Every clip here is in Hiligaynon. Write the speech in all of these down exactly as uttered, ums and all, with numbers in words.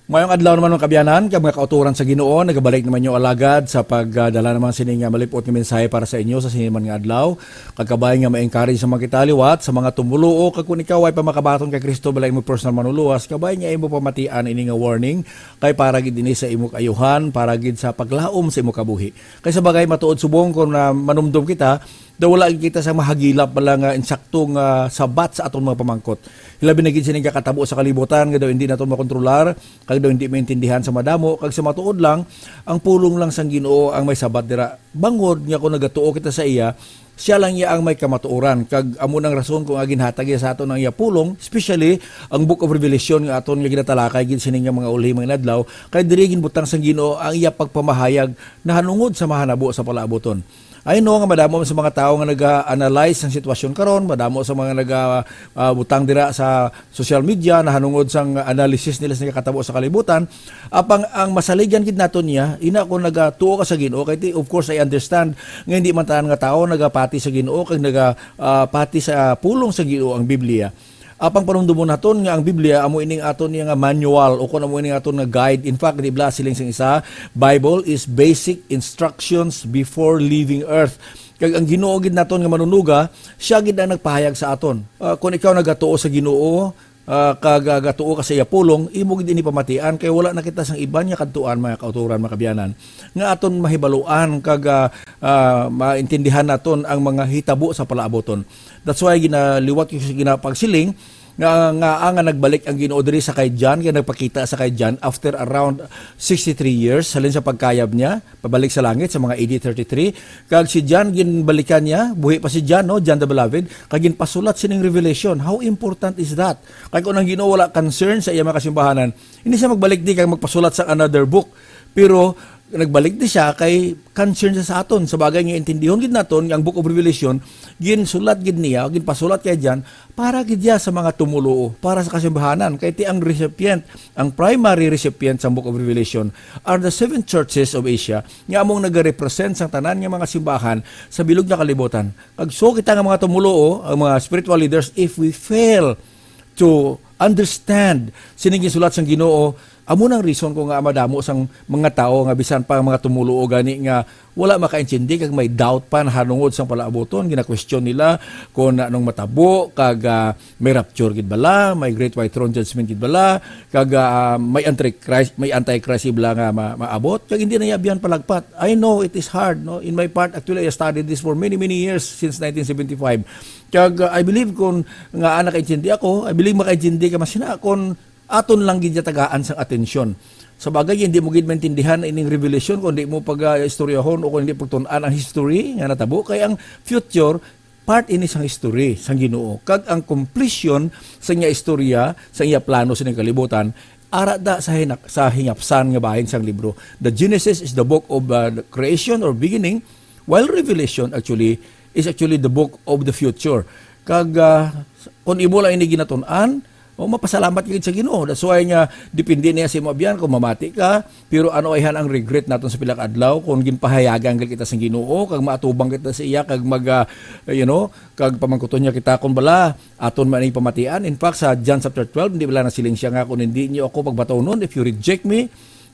Mayong adlaw naman, mga kabyanan, kag mga kauturan sa Ginoo. Nagabalik naman yung alagad sa pagdala naman sini nga malipot nga mensahe para sa inyo sa sini man nga adlaw. Kag kabay nga ma-encourage sa mga kita liwat, sa mga tumuluo, kag kung ikaw ay pamakabaton kay Kristo, bala imo personal manuluwas, kabay nga imo pamatian ini nga warning, kay para gid ini sa imo kaayuhan, para gid sa paglaom sa imo kabuhi. Kay sa bagay, matuod subong kung na manumdom kita, daw wala gid kita sa mahagilap bala nga insakto nga sabat sa aton mga pamangkot. Hilabi na gid sini nga katabo sa kalibutan nga daw hindi naton makontrolar, kag daw hindi maintindihan sa madamo, kag sa matuod lang, ang pulong lang sang Ginoo ang may sabat dira. Bangod nga kung nagatuo kita sa iya, siya lang iya ang may kamatuoran, kag amo nang rason kung ginhatag iya sa aton ang iya pulong, especially ang Book of Revelation nga aton nga ginatalakay gid sini nga mga ulhi mga inadlaw, kay diri ginbutang sang Ginoo ang iya pagpamahayag nahanungod sa mahanabo sa palaabuton. I know nga madamo sa mga tawo nga naga-analyze sang sitwasyon karon, madamo sa mga naga, ah, butang dira sa social media nahanungod sang analysis nila sa nakatabo sa kalibutan. Apang ang masaligan gid nato niya, ina, kung nagatuo ka sa Ginoo, kay ti-, of course, I understand nga hindi man tanan nga tawo nagapati sa Ginoo kag naga, ah, pati sa pulong sa Ginoo ang Biblia. Apang panumdumon naton nga ang Biblia amo ining aton niya nga manual, o kon amo ining aton nga guide. In fact, di bala siling sang isa, "Bible is basic instructions before leaving earth." Kag ang Ginoo gid naton nga manunuga, siya gid ang nagpahayag sa aton. Ah, kung ikaw nagatuo sa Ginoo, ah, kag, ah, gatuo ka sa iya pulong, imo gid ini pamatian, kay wala na kita sang iban nga kadtuan, mga kauturan, mga kabyanan, nga aton mahibaluan kag, ah, ah, maintindihan naton ang mga hitabo sa palaabuton. That's why ginaliwat ko sa ginapagsiling nga, nga, ah, nga nagbalik ang Ginoo diri sa kay John, kay nagpakita sa kay John after around sixty-three years, halin sa pagkayab niya pabalik sa langit sa mga A D thirty-three. Kag si John, ginbalikan niya, buhi pa si John, no, John the Beloved, kag ginpasulat sining revelation. How important is that? Kay kung ang Ginoo wala concern sa iya mga kasimbahanan, hindi siya magbalik di kag magpasulat sa another book. Pero nagbalik di siya kay concern siya sa aton. Sa bagay nga intindihon gid naton nga ang Book of Revelation, ginsulat gid niya, ginpasulat kay John para gid niya sa mga tumuluo, para sa kasimbahanan. Kay ti ang recipient, ang primary recipient sa Book of Revelation are the seven churches of Asia, nga among nagarepresent sang tanan nga mga simbahan sa bilog nga kalibutan. Kag so kita nga mga tumuluo, ang mga spiritual leaders, if we fail to understand sining gisulat sang Ginoo, amo nang reason ko nga madamo sang mga tawo nga bisan pa ang mga tumuluo gani nga wala makaintindi kag may doubt pa nahanungod sang palaabuton, gina-question nila kung anong matabo, kag, ah, may rapture gid bala, may great white throne judgment gid bala, kag, ah, may antichrist, may antichrist gid bala nga ma-, maabot, kag hindi na iya biyan palagpat. I know it is hard, no? In my part, actually, I studied this for many, many years since nineteen seventy-five. Kag, uh, I believe kung nga nakaintindi ako, I believe makaintindi ka masina kung aton lang gid niya tagaan sang atensyon. Sa bagay, hindi mo gid maintindihan ining revelation kung di mo pag-istoryahon o kung hindi pagtun-an ang history nga natabo. Kay ang future, part ini sang history sang Ginoo. Kag ang completion sa iya istorya, sa iya plano sa kalibutan, ara da sa hinak-, sa hingapsan nga bahin sang libro. The Genesis is the book of, uh, the creation or beginning, while Revelation actually is actually the book of the future. Kag, ah, kung imo lang ini ginatun-an, o, mapasalamat ka gid sa Ginoo. That's why nga depende niya sa imo abyan kung mamati ka, pero ano ayhan ang regret naton sa pila ka adlaw kung ginpahayagan gid kita sa Ginoo kag maatubang kita sa iya kag mag, ah, you know, kag pamangkuton niya kita kung bala aton man ning pamatian. In fact, sa John chapter twelve, hindi bala nasiling siya nga, "Kung hindi niyo ako pagbatawnon, if you reject me,"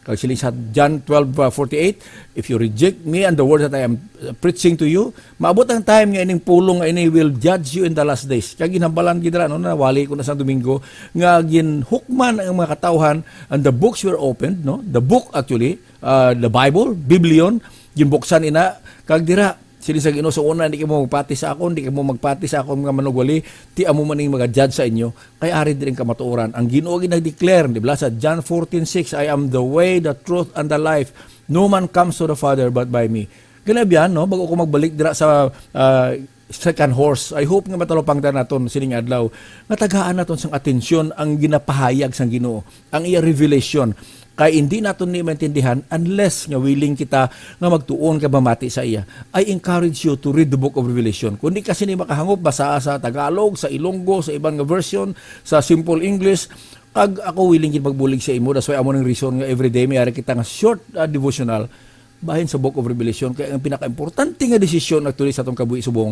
Kag siling sa John twelve, uh, forty-eight, "If you reject me and the word that I am, uh, preaching to you," maabot ang time nga ining pulong nga ini will judge you in the last days. Kag ginhambalan gid ra, no, na wali ko na sa Domingo, nga ginhukman ang mga katawhan, and the books were opened, no? The book, actually, uh, the Bible, Biblion, ginbuksan ina, kag dira, Siling sa Ginoo, sa una, di kamo magpati sa akon, di kamo magpati sa akon nga manugwali, ti amo man ning maga-judge sa inyo, kay ari diri ang kamatuoran. Ang Ginoo gid nag-declare, di ba, sa John fourteen six, "I am the way, the truth, and the life. No man comes to the Father but by me." Ganabihan, no? Bago ko magbalik dira sa, ah, second horse, I hope nga matalupangdan naton sining adlaw nga tagaan naton sang atensyon ang ginapahayag sang Ginoo, ang iya revelation. Kay hindi naton ni maintindihan unless nga willing kita nga magtuon kag mamati sa iya. I encourage you to read the book of Revelation. Kung di ka sini makahangop, basaa sa Tagalog, sa Ilonggo, sa iban nga version, sa simple English. Kag ako willing gid magbulig sa imo. That's why amo ning reason nga everyday may ara kita nga short, ah, devotional bahin sa Book of Revelation. Kay ang pinakaimportante nga desisyon actually sa atong kabuhi subong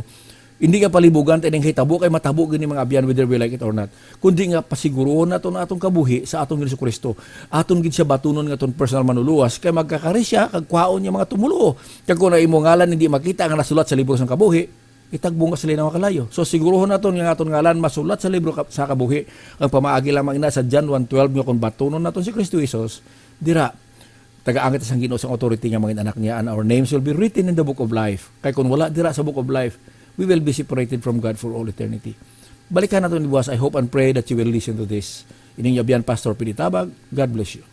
Hindi nga palibugan ta ining hitabo kay matabo gini, mga abyan, whether we like it or not. Kundi nga pasiguruhon naton ang atong kabuhi sa aton Ginoong Kristo. Aton gid siya batunon nga aton personal manluluwas kay magkakari siya kag kwaon niya mga tumoluo. Kag kung ang imo ngalan hindi makita nga nasulat sa libro sang kabuhi, itagbo nga sila nga kalayo. So siguruhon naton nga aton ngalan masulat sa libro ka- sa kabuhi. Ang pamaagi lamang ina sa John one twelve nga kung batunon naton si Kristo Jesus, dira tagaan kita sang Ginoo sang authority nga mga anak niya, and our names will be written in the book of life. Kay kung wala dira sa book of life, we will be separated from God for all eternity. Balikan nato ni buwas. I hope and pray that you will listen to this. Ining abyan, Pastor Pidi Tabag. God bless you.